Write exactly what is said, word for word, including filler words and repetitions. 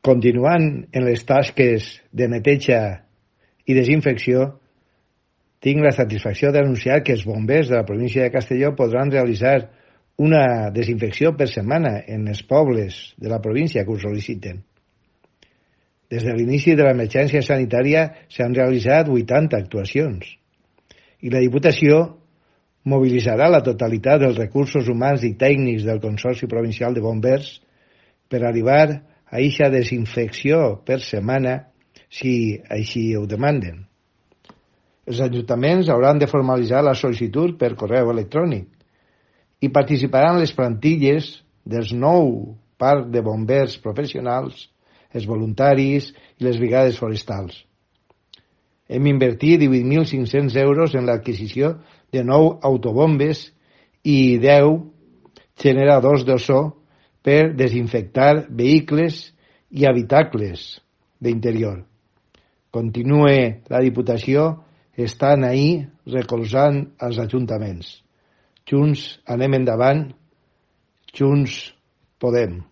Continuant en les tasques de neteja i desinfecció, tinc la satisfacció d'anunciar que els bombers de la província de Castelló podran realitzar una desinfecció per setmana en els pobles de la província que ho sol·liciten. Des de l'inici de l'emergència sanitària s'han realitzat vuitanta actuacions i la Diputació mobilitzarà la totalitat dels recursos humans i tècnics del Consorci Provincial de Bombers per arribar a aquesta desinfecció per setmana si així ho demanden. Els ajuntaments hauran de formalitzar la sol·licitud per correu electrònic i participaran les plantilles dels nou parcs de bombers professionals, els voluntaris i les brigades forestals. Hem invertit divuit mil cinc-cents euros en l'adquisició de nou autobombes i deu generadors d'ozó per desinfectar vehicles i habitacles d'interior. Continue la Diputació estant ahí recolzant els ajuntaments. Junts anem endavant, junts podem.